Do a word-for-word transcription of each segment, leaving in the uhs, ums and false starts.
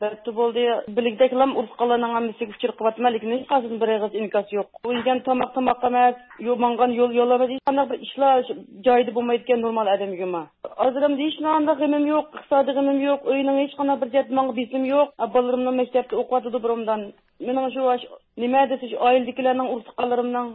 بەپتۇ بولدى. بىلگۈدەكلام ئۇرۇق-تۇغقانلارنىڭ ھەممىسىگە ئۇچۇر قىلىۋاتىمەن، لېكىن ھېچقايسىدىن بىر ئېغىز ئىنكاس يوق. ئۇ يېگەن تاماق تاماق ئەمەس، يو-، ماڭغان يول يول ئەمەس، ھېچقانداق بىر ئىشلار شۇ جايىدا بولمايدىكەن نورمال ئادەمگىمۇ. ھازىر ئەمدى ھېچقانداق غېمىم يوق، ئىقتىسادىي غېمىم يوق، ئۆينىڭ ھېچقانداق بىر جەھەتتە ماڭا بېسىمى يوق. ھە، بالىلىرىمنىڭ مەكتەپتە ئوقۇۋاتىدۇ بۇرۇندىن. مېنىڭ شۇ، نېمە دېسە، شۇ ئائىلىدىكىلەرنىڭ، ئۇرۇق-تۇغقانلىرىمنىڭ،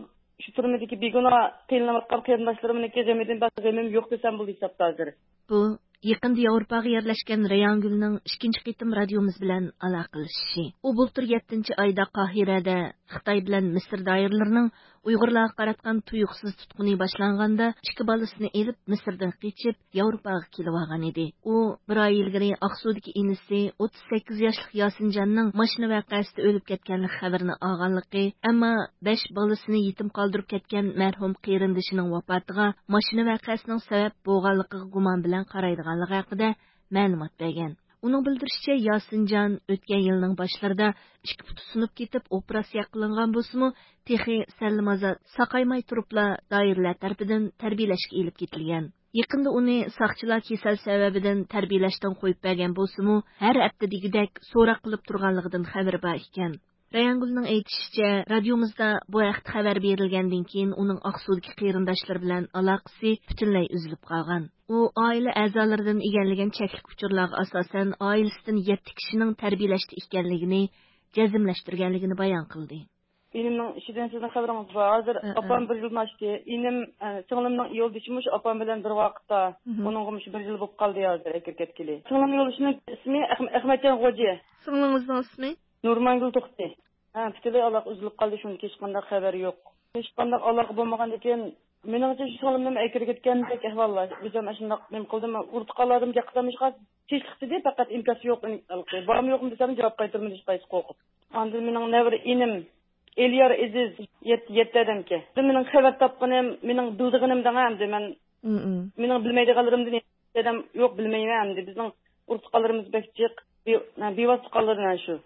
شۇ تۈرمىدىكى بىگۇناھ قىينىلىۋاتقان قېرىنداشلىرىمنىڭكى غېمىدىن باشقا غېمىم يوق دېسەم بولىدۇ ھېسابتا ھازىر. بۇ يېقىندا ياۋروپاغا يەرلەشكەن رەيھانگۈلنىڭ ئىككىنچى قېتىم رادىيومىز بىلەن ئالاقىلىشىشى. ئۇ بۇلتۇر يەتتىنچى ئايدا قاھىرەدە خىتاي بىلەن مىسىر دائىرىلىرىنىڭ ئۇيغۇرلارغا قاراتقان تۇيۇقسىز تۇتقۇنى باشلانغاندا، ئىككى بالىسىنى ئېلىپ مىسىردىن قېچىپ، ياۋروپاغا كېلىۋالغان ئىدى. ئۇ بىر ئاي ئىلگىرى ئاقسۇدىكى ئىنىسى ئوتتۇز سەككىز ياشلىق ياسىنجاننىڭ ماشىنا ۋەقەسىدە ئۆلۈپ كەتكەنلىك خەۋىرىنى ئالغانلىقى، ئەمما بەش بالىسىنى يېتىم قالدۇرۇپ كەتكەن مەرھۇم قېرىندىشىنىڭ ۋاپاتىغا ماشىنا ۋەقەسىنىڭ سەۋەب بولغانلىقىغا گۇمان بىلەن قارايدىغانلىقى ھەققىدە مەلۇمات بەرگەن. ئۇنىڭ بىلدۈرۈشىچە، ياسىنجان ئۆتكەن يىلنىڭ باشلىرىدا ئىككى پۇتى سۇنۇپ كېتىپ، ئوپېراتسىيە قىلىنغان بولسىمۇ، تېخى سەللىمازا ساقايماي تۇرۇپلا دائىرىلەر تەرىپىدىن تەربىيەلەشكە ئېلىپ كېتىلگەن. يېقىندا ئۇنى ساقچىلار كېسەل سەۋەبىدىن تەربىيەلەشتىن قويۇپ بەرگەن بولسىمۇ، ھەر ھەپتە دېگۈدەك سوراق قىلىپ تۇرغانلىقىدىن خەۋىرى بار ئىكەن. رەيھانگۈلنىڭ ئېيتىشىچە، رادىيومىزدا بۇ ھەقتە خەۋەر بېرىلگەندىن كېيىن، ئۇنىڭ ئاقسۇدىكى قېرىنداشلىرى بىلەن ئالاقىسى پۈتۈنلەي ئۈزۈلۈپ قالغان. ئۇ ئائىلە ئەزالىرىدىن ئىگىلىگەن چەكلىك ئۇچۇرلارغا ئاساسەن، ئائىلىسىدىن يەتتە كىشىنىڭ تەربىيەلەشتە ئىكەنلىكىنى جەزملەشتۈرگەنلىكىنى بايان قىلدى. ئىنىمنىڭ ئىشىدىن سىزنىڭ خەۋىرىڭىز بار. ھازىر ھە، ئاپام ھە. بىر يىلدىن ئاشتى. ئىنىم، ئە، سىڭلىمنىڭ يولدىشى مۇشۇ ئاپام بىلەن بىر ۋاقىتتا. مھم. ئۇنىڭغا مۇشۇ بىر يىل بولۇپ قالدى ھازىر ئەكىرىپ كەتكىلى. سىڭلىمنىڭ يولدىشىنىڭ ئىسمى ئەخم-، ئەخمەتجان غوجى. سىڭلىڭىزنىڭ ئىسمى؟ نۇرمانگۈل توختى. ھە، پۈتۈنلەي ئالاقە ئۈزۈلۈپ قالدى، شۇنىڭدىن كېيىن ھېچقانداق خەۋەر يوق. ھېچقانداق ئالاقە بولمىغاندىكىن، مېنىڭچە شۇ سىڭلىمنىمۇ ئەكىرىپ كەتكەندەك ئەھۋاللار. ئۆزۈم ئاشۇنداق نېمە قىلدىم، ئۇرۇق-تۇغقانلاردىن گەپ قىلسام ھېچقانداق تىنچلىق دېدى، پەقەت ئىنكاس يوق، بارمۇ يوقمۇ دېسەم جاۋاب قايتۇرمىدى ھېچقايسى قورقۇپ. ئاندىن مېنىڭ نەۋرە ئىنىم ئېليار ئېزىز يەت-، يەتتە ئادەمكەن. مېنىڭ خەۋەر تاپقىنىم، مېنىڭ بىلىدىغىنىم دەڭ ئەمدى مەن، مم. مېنىڭ بىلمەيدىغانلىرىمدىن ھېچ ئادەم يوق، بىلمەيمەن ئەمدى. بىزنىڭ ئۇرۇق-تۇغقانلىرىمىز بەك جىق، بىۋاسىتە تۇغقانلىرىم شۇ.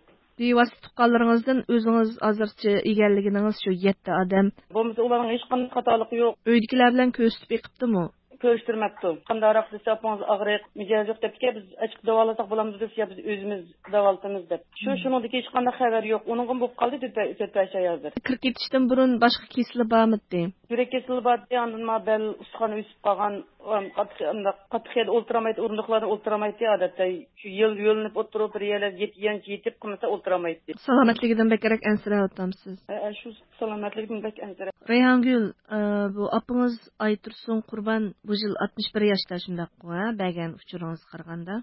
بىۋاسىتە تۇغقانلىرىڭىزدىن ئۆزىڭىز ھازىرچە ئىگىلىگىنىڭىز شۇ يەتتە ئادەم. بولمىسا ئۇلارنىڭ ھېچقانداق خاتالىقى يوق. ئۆيدىكىلەر بىلەن كۆرۈشتۈرۈپ بېقىپتىمۇ؟ كۆرۈشتۈرمەپتۇ. قانداقراق دېسە، ئاپىڭىز ئاغرىق، مىجەزى يوق دەپتىكەن، بىز ئاچىقىپ داۋالىساق بولامدۇ دېسە، يا بىز ئۆزىمىز داۋالىتىمىز دەپ. شۇ، مم. شۇنىڭدىكى ھېچقانداق خەۋەر يوق. ئۇنىڭغىمۇ بولۇپ قالدى تۆت ئاي، تۆت ئاي ھازىر. كىرىپ كېتىشتىن بۇرۇن باشقا كېسىلى بارمىدى؟ يۈرەك كېسىلى بار ئىدى، ئاندىن ما بەل ئۇستىخانى ئۆسۈپ قالغان، ئۇ قاتتىق، ئانداق قاتتىق يەردە ئولتۇرالمايتتى، ئورۇندۇقلاردا ئولتۇرالمايتتى، ئادەتتە شۇ يۆل-، يۆلىنىپ ئولتۇرۇپ، بىر يەرلەردە يېتىپ، يانچە يېتىپ قىلمىسا ئولتۇرالمايتتى. سالامەتلىكىدىن بەكرەك ئەنسىرەۋاتامسىز؟ ھە، ھە، شۇ سالامەتلىكىدىن بەك ئەنسىرەپ. رەيھانگۈل، ئە، بۇ ئاپىڭىز ئايتۇرسۇن قۇربان بۇ يىل ئاتمىش بىر ياشتا شۇنداققۇ، ھە، بەرگەن ئۇچۇرىڭىزغا قارىغاندا؟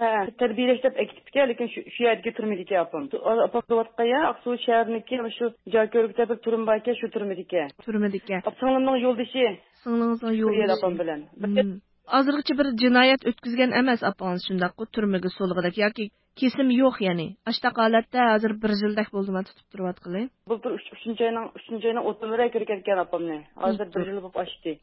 ھە، تەربىيەلەش دەپ ئەكېتىپتىكەن، لېكىن شۇ، شۇ يەردىكى تۈرمىدىكى ئاپام. ئاپام تۇرۇۋاتقان يەر ئاقسۇ شەھىرىنىڭكى شۇ جاكۆرۈكتە بىر تۈرمە باركەن، شۇ تۈرمىدىكى. تۈرمىدىكى. ئاپ-، سىڭلىمنىڭ يولدىشى. سىڭلىڭىزنىڭ يولدىشى. ئاپام بىلەن. بىر مم. ھازىرغىچە بىر جىنايەت ئۆتكۈزگەن ئەمەس ئاپىڭىز شۇنداققۇ، تۈرمىگە سولىغۇدەك ياكى كېسىم يوق يەنى. ئاشتاق ھالەتتە ھازىر بىر يىلدەك بولدىما تۇتۇپ تۇرۇۋاتقىلى. بۇلتۇر ئۈچ، ئۈچىنچى ئاينىڭ، ئۈچىنچى ئاينىڭ ئوتتۇزى بىرىگە كىرىپ كەتكەن ئاپامنى. ھازىر بىر يىل بولۇپ ئاشتى.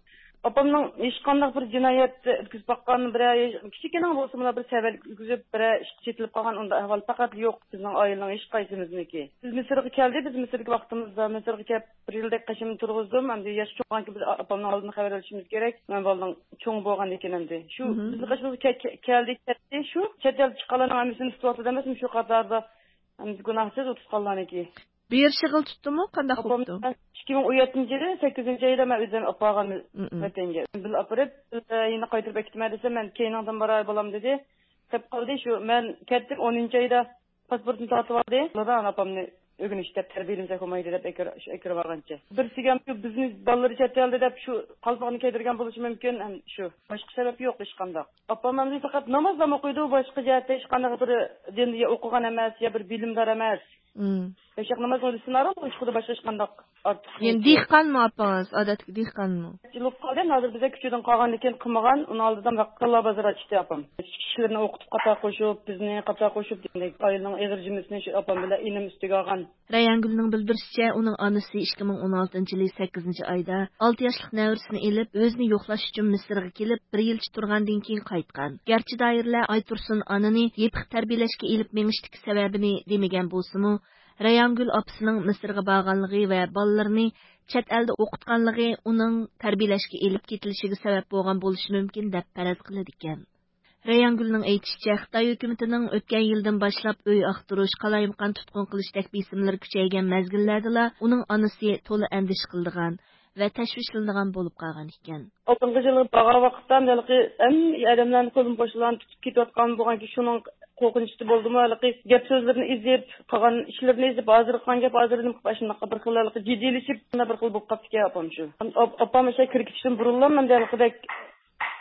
ئاپامنىڭ ھېچقانداق بىر جىنايەت ئۆتكۈزۈپ باققان، بىرەر كىچىككىنە بولسىمۇلا بىر سەۋەنلىك ئۆتكۈزۈپ، بىرەر ئىشقا چېتىلىپ قالغان ئۇنداق ئەھۋال پەقەت يوق بىزنىڭ ئائىلىنىڭ ھېچقايسىمىزنىڭكى. بىز مىسىرغا كەلدى، بىز مىسىرغا ۋاقتىمىزدا، مىسىرغا كەپ بىر يىلدەك قېشىمدا تۇرغۇزدۇم. ئەمدى ياش چوڭغانكى بىز ئاپامنىڭ ئالدىدا خەۋەر ئېلىشىمىز كېرەك. مەن بالىنىڭ چوڭ بولغاندىكىن ئەمدى. شۇ بىزنىڭ قېشىمىزغا كە-، كە-، كەلدى، كەتتى. شۇ چەت ئەلدە چىققانلارنىڭ ھەممىسىنى تۇتۇۋاتىدۇ ئەمەسمۇ؟ شۇ قاتاردا ئەمدى گۇناھسىز ئۇ تۇتقانلارنىڭكى. بېرىشىغىلا تۇتتىمۇ؟ قانداق بوپتۇ؟ ئىككى مىڭ ئون يەتتىنچى يىلى سەككىزىنچى ئايدا مەن ئۆزۈم ئاپارغان ۋەتەنگە. بىللە ئاپىرىپ، بىللە يەنە قايتۇرۇپ ئەكىتىمەن دېسەم، مەن كەينىڭدىن باراي بالام دېدى. قېلىپ قالدى. شۇ مەن كەتتىم، ئونىنچى ئايدا پاسپورتنى تارتىۋالدى. ئۇلار ئاپامنى ئۆگىنىش دەپ تەربىيەلىمىسەك بولمايدۇ دەپ ئەكىر-، ئەكىرىۋالغانچە. بىرسىگە شۇ بىزنى بالىلىرى چەت ئەلدە دەپ شۇ قالپاقنى كىيدۈرگەن بولۇشى مۇمكىن. ھەم شۇ باشقا سەۋەب يوق ھېچقانداق. ئاپام ئەمدى پەقەت نامازلا ئوقۇيدۇ، باشقا جەھەتتە ھېچقانداق بىر دىندا يا ئوقۇغان ئەمەس، يا بىر بىلىمدار ئەمەس. مم. بەشەق ناماز ئويلىسىنارا، ئۇ ئىشقىدا باشقا ھېچقانداق ئارتۇق يەنى نېمىسى يوق. دېھقانمۇ ئاپىڭىز؟ ئادەتتىكى دېھقانمۇ؟ يىل بولۇپ قالدى، ھازىر بىزدە كۈچىدىن قالغاندىن كېيىن قىلمىغان، ئۇنىڭ ئالدىدا بەققاللا بازىرىغا چىقتى ئاپام. كىشىلىرىنى ئوقۇتۇپ قاتا قوشۇپ، بىزنى قاتا قوشۇپ، دېگەندەك ئائىلىنىڭ ئېغىر جىممىسىنى شۇ ئاپام بىلەن ئىنىم ئۈستىگە ئالغان. رەيھانگۈلنىڭ بىلدۈرۈشىچە، ئۇنىڭ ئانىسى ئىككى مىڭ ئون ئالتىنچى يىلى سەككىزىنچى ئايدا ئالتە ياشلىق نەۋرىسىنى ئېلىپ، ئۆزىنى يوقلاش ئۈچۈن مىسىرغا كېلىپ، بىر يىلچە تۇرغاندىن كېيىن قايتقان. گەرچە دائىرىلەر ئايتۇرسۇن ئانىنى يېپىق تەربىيەلەشكە ئېلىپ مېڭىشتىكى سەۋەبىنى دېمىگەن بولسىمۇ، رەيھانگۈل ئاپىسىنىڭ مىسىرغا بارغانلىقى ۋە بالىلىرىنى چەت ئەلدە ئوقۇتقانلىقى ئۇنىڭ تەربىيەلەشكە ئېلىپ كېتىلىشىگە سەۋەب بولغان بولۇشى مۇمكىن دەپ پەرەز قىلىدىكەن. رەيھانگۈلنىڭ ئېيتىشىچە، خىتاي ھۆكۈمىتىنىڭ ئۆتكەن يىلدىن باشلاپ ئۆي ئاختۇرۇش، قالايمىقان تۇتقۇن قىلىشتەك بېسىملىرى كۈچەيگەن مەزگىللەردىلا ئۇنىڭ ئانىسى تولا ئەندىشە قىلىدىغان ۋە تەشۋىشلىنىدىغان بولۇپ قالغان ئىكەن. ئالدىنقى يىلى بارغان ۋاقىتتا ھېلىقى ھەممە ئادەملەرنى قولىمۇ بوشلارنى تۇتۇپ كېتىۋاتقان بولغانكى، شۇنىڭ قورقۇنچىدا بولدىمۇ، ھېلىقى گەپ سۆزلىرىنى ئېزىپ، قىلغان ئىشلىرىنى ئېزىپ، ھازىرقى قىلغان گەپ ھازىر نېمە قىلىپ ئاشۇنداق بىر خىل ھېلىقى جىددىيلىشىپ، بىر خىل بولۇپ قاپتىكەن ئاپام شۇ. ئاپ-، ئاپام ئاشۇ كىرىپ كېتىشتىن بۇرۇنلا مەندە ھېلىقىدەك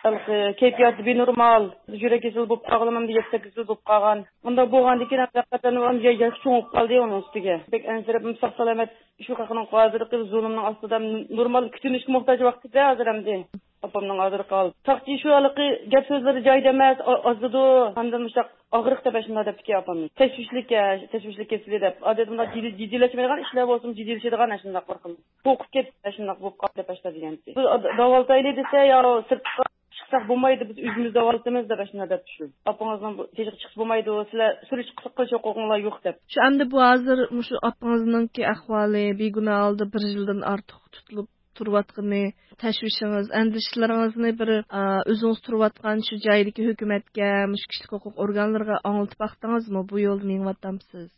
ھېلىقى كەيپىياتى بىنورمال، يۈرەك كېسىلى بولۇپ قالغىلى مەندە يەتتە سەككىز يىل بولۇپ قالغان. مۇنداق بولغاندىكىن ھەقىقەتەن ئۇ يا-، ياش چوڭىيىپ قالدى ئۇنىڭ ئۈستىگە. بەك ئەنسىرەپ، ساق سالامەت شۇ خەقنىڭ ھازىرقى زۇلۇمنىڭ ئاستىدا نورمال كۈتۈنۈشكە موھتاج ۋاقتىدا ھازىر ئەمدى. ئاپامنىڭ ھازىرقى ھالى. ساقچى شۇ ھېلىقى گەپ سۆزلىرى جايىدا ئەمەس، ئا-، ئازىدۇ، ئاندىن مۇشۇنداق ئاغرىق دەپ ئاشۇنداق دەپتىكەن ئاپامنى. تەشۋىشلىك، ھە، تەشۋىشلىك كېسىلى دەپ. ئادەتتە مۇنداق جىددىي-، جىددىيلەشمەيدىغان ئىشلار بولسىمۇ، جىددىيلىشىدىغان ئاشۇنداق بىر خىل. قورقۇپ كەتتى، ئاشۇنداق بولۇپ قالدى دەپ ئاشۇنداق دېگەنتى. بىز ئاد-، داۋالىتايلى دېسە، يا سىرتقا چىقساق بولمايدۇ، بىز ئۆزىمىز داۋالىتىمىز دەپ ئاشۇنداق دەپتۇ شۇ. ئاپىڭىزنىڭ بۇ تېشىغا چىقسا بولمايدۇ، سىلەر سۈرۈشتە قىلىش ھوقۇقۇڭلار يوق دەپ. شۇ ئەمدى بۇ ھازىر مۇشۇ ئاپىڭىزنىڭكى ئەھۋالى، بىگۇناھ ھالدا بىر يىلدىن ئارتۇق تۇتۇلۇپ تۇرۇۋاتقىنى، تەشۋىشىڭىز، ئەندىشىلىرىڭىزنى بىر، ئا، ئۆزىڭىز تۇرۇۋاتقان شۇ جايدىكى ھۆكۈمەتكە، مۇشۇ كىشىلىك ھوقۇق ئورگانلىرىغا ئاڭلىتىپ باقتىڭىزمۇ؟ بۇ يولدا مېڭىۋاتامسىز؟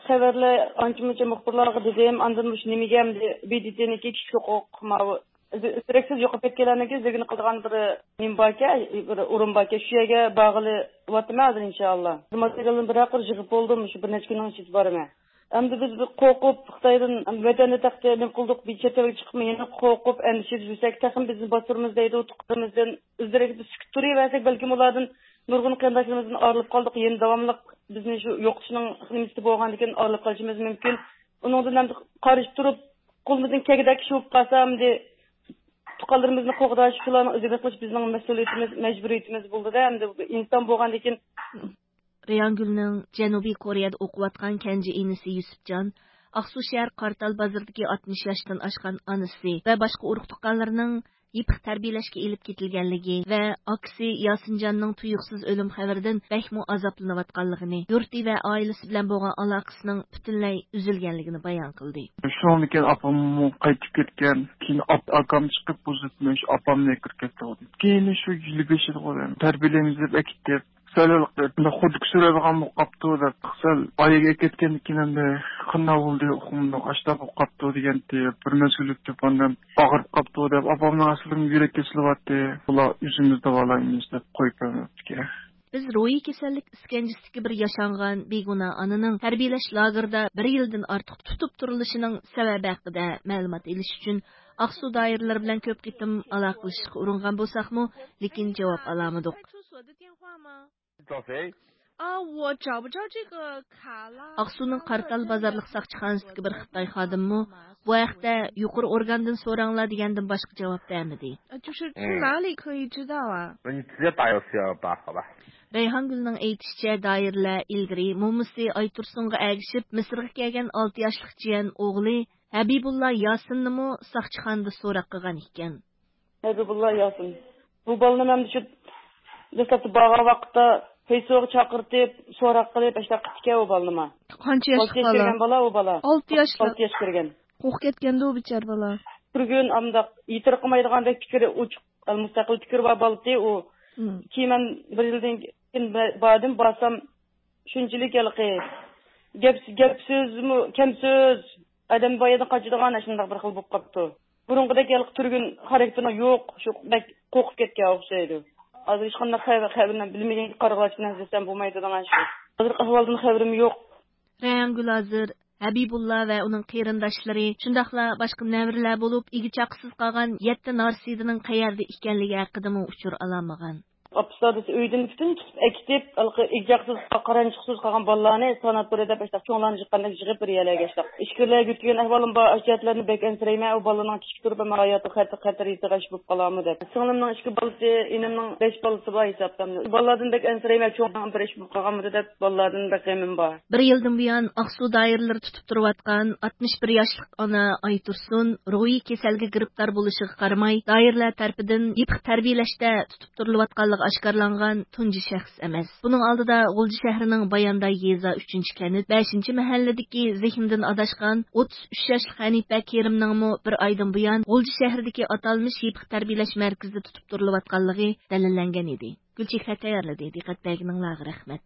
خەۋەرلەر ئانچە-مۇنچە مۇخبىرلارغا دېدىم، ئاندىن مۇشۇ نېمىگە ئەمدى ب د ت نىڭكى كىشىلىك ھوقۇق ماۋۇ دېرەكسىز يوقاپ كەتكەنلەرنىڭكى ئىزدىنىش قىلىدىغان بىر نېمە باركەن، بىر ئورۇن باركەن، شۇ يەرگە بارغىلى بولاتتىم ھازىر ئىنشائاللا. ماتېرىيالنى بىر قۇر يىغىپ بولدۇم، شۇ بىر نەچچە كۈننىڭ ئىچىدە بارىمەن. ئەمدى بىز بىر قورقۇپ، خىتايدىن ۋەتەندە تېخى نېمە قىلدۇق، بىر چەت ئەلگە چىقىپمۇ يەنە قورقۇپ، ئەندىشىدە يۈرسەك، تېخىمۇ بىزنى باستۇرىمىز دەيدۇ، تۇغقىنىمىزدىن ئۆزلىرىگە بىز سۈكۈت تۇرۇۋەرسەك، بەلكىم ئۇلاردىن نۇرغۇن قېرىنداشلىرىمىزدىن ئايرىلىپ قالدۇق، يەنە داۋاملىق بىزنى شۇ يوقىتىشنىڭ نېمىسىدە بولغاندىكىن ئايرىلىپ قېلىشىمىز مۇمكىن. ئۇنىڭدىن ئەمدى قارشى تۇرۇپ، قولىمىزدىن كەلگۈدەك ئىش بولۇپ قالسا، ئەمدى تۇغقانلىرىمىزنى قوغداش، شۇلارنىڭ ئىزدىنىش قىلىش بىزنىڭ مەسئۇلىيىتىمىز، مەجبۇرىيىتىمىز بولدىدە، ئەمدى ئىنسان بولغاندىكىن. رەيھانگۈلنىڭ جەنۇبىي كورېيەدە ئوقۇۋاتقان كەنجى ئىنىسى يۈسۈپجان، ئاقسۇ شەھەر قارتال بازىرىدىكى ئاتمىش ياشتىن ئاشقان ئانىسى ۋە باشقا ئۇرۇق-تۇغقانلىرىنىڭ يېپىق تەربىيەلەشكە ئېلىپ كېتىلگەنلىكى ۋە ئاكىسى ياسىنجاننىڭ تۇيۇقسىز ئۆلۈم خەۋىرىدىن بەكمۇ ئازابلىنىۋاتقانلىقىنى، يۇرتى ۋە ئائىلىسى بىلەن بولغان ئالاقىسىنىڭ پۈتۈنلەي ئۈزۈلگەنلىكىنى بايان قىلدى. شۇنىڭدىن كېيىن ئاپاممۇ قايتىپ كەتكەن. كېيىن ئاپ-، ئاكام چىقىپ، بۇ زېتىنى شۇ ئاپامنى كىرىپ كەتتى. كېيىن شۇ يىل بېشىدا ئەكېتىپ، سەل بۇنداق خۇددىكى سۈرەيدىغان بولۇپ قاپتۇ دەپ، سەل ئايىگە ئەكەتكەندىن كېيىن ئەمدى قانداق بولدى، ئۇقمىدۇق، ئاشتا بولۇپ قاپتۇ دېگەنتى. بىر مەزگىل ئۆتۈپ ئاندىن ئاغرىپ قاپتۇ دەپ، ئاپامنىڭ ئەسلىدىمۇ يۈرەك كېسىلى بارتى. بۇلار ئۆزىمىز داۋالايمىز دەپ قويۇپ بەرمەپتىكەن. بىز روھىي كېسەللىك ئىسكەنجىسىدىكى بىر ياشانغان بىگۇناھ ئانىنىڭ تەربىيەلەش لاگېرىدا بىر يىلدىن ئارتۇق تۇتۇپ تۇرۇلۇشىنىڭ سەۋەبى ھەققىدە مەلۇمات ئېلىش ئۈچۈن ئاقسۇ دائىرىلىرى بىلەن كۆپ قېتىم ئالاقىلىشىشقا ئۇرۇنغان بولساقمۇ، لېكىن جاۋاب ئالالمىدۇق. ئاقسۇنىڭ قارتال بازارلىق ساقچىخانىسىدىكى بىر خىتاي خادىمىمۇ بۇ ھەقتە يۇقىرى ئورگاندىن سوراڭلار دېگەندىن باشقا جاۋاب بەرمىدى. 就是去哪里可以知道啊？ رەيھانگۈلنىڭ ئېيتىشىچە، دائىرىلەر ئىلگىرى مومىسى ئايتۇرسۇنغا ئەگىشىپ مىسىرغا كەلگەن ئالتە ياشلىق جىيەن ئوغلى ھەبىبۇللا ياسىننىمۇ ساقچىخانىدا سوراق قىلغان ئىكەن. ھەبىبۇللا ياسىن. بۇ بالىنى مەن شۇ دەسلەپتە بارغان ۋاقىتتا پەيسوغا چاقىرتىپ، سوراق قىلىپ، ئاشۇنداق قىپتىكەن ئۇ بالىنىمۇ. قانچە ياشلىق بالا؟ كىرگەن بالا ئۇ بالا. ئالتە ياشلىق. ئالتە ياش كىرگەن. قورقۇپ كەتكەندۇ بىچارە بالا. بىر كۈن ئانداق يېتىرقىمايدىغاندەك پىكرى ئوچۇق، مۇستەقىل پىكرى بار بالىتى ئۇ. كېيىن مەن بىر يىلدىن كېيىن باردىم، بارسام شۇنچىلىك ھېلىقى گەپ، گەپ سۆزمۇ كەم سۆز، ئادەم بايىدىن قاچىدىغان ئاشۇنداق بىر خىل بولۇپ قاپتۇ. بۇرۇنقىدەك ھېلىقى تۈرگۈن خاراكتېرى يوق، شۇ بەك قورقۇپ كەتكەن ئوخشايدۇ. ھازىر ھېچقانداق خەۋەر، خەۋىرىنى بىلمىگەن قارىغۇلارچە بىلەن ئىزدىسەم بولمايدىغان ئىش. ھازىرقى ئەھۋالدىن خەۋىرىم يوق. رەيھانگۈل ھازىر ھەبىبۇللا ۋە ئۇنىڭ قېرىنداشلىرى، شۇنداقلا باشقا نەۋرىلەر بولۇپ، ئىگە-چاقىسىز قالغان يەتتە نارسىدىنىڭ قەيەردە ئىكەنلىكى ھەققىدىمۇ ئۇچۇر ئالالمىغان. ئاپىسى دادىسى ئۆيدىن پۈتۈن تۇتۇپ ئەكېتىپ، ھېلىقى ئىگە-چاقىسىز، قارانچۇقسىز قالغان بالىلارنى ساناتورىيە دەپ ئاشۇنداق چوڭلارنى يىغقاندەك يىغىپ بىر يەرلەرگە ئاشۇنداق ئىچكىرىلەرگە يۆتكىگەن ئەھۋالىم بار. ئاشۇ جەھەتلەردىن بەك ئەنسىرەيمەن. ئۇ بالىنىڭ كىچىك تۇرۇپ، ئەمما ھاياتىغا خەتەر، خەتەر يېتىدىغان ئىش بولۇپ قالارمۇ دەپ. سىڭلىمنىڭ ئىككى بالىسى، ئىنىمنىڭ بەش بالىسى بار ھېسابتا. بالىلاردىن بەك ئەنسىرەيمەن، چوڭ بىر ئىش بولۇپ قالغانمىدۇ دەپ، بالىلاردىن بەك غېمىم بار. بىر يىلدىن بۇيان ئاقسۇ دائىرىلىرى تۇتۇپ تۇرۇۋاتقان ئاتمىش بىر ياشلىق ئانا ئايتۇرسۇن روھىي كېسەلگە گىرىپتار بولۇشىغا قارىماي، دائىرىلەر تەرىپىدىن يېپىق تەربىيەلەشتە تۇتۇپ تۇرۇلۇۋاتقانلىقى ئاشكارىلانغان تۇنجى شەخس ئەمەس. بۇنىڭ ئالدىدا غۇلجا شەھىرىنىڭ بايانداي يېزا ئۈچىنچى كەنت بەشىنچى مەھەللىدىكى زېھنىدىن ئاداشقان ئوتتۇز ئۈچ ياشلىق ھەنىپە كېرىمنىڭمۇ بىر ئايدىن بۇيان غۇلجا شەھىرىدىكى ئاتالمىش يېپىق تەربىيەلەش مەركىزىدە تۇتۇپ تۇرۇلۇۋاتقانلىقى دەلىللەنگەن ئىدى. گۈلچېھرە تەييارلىدى. دىققەت بەرگىنىڭلارغا رەھمەت.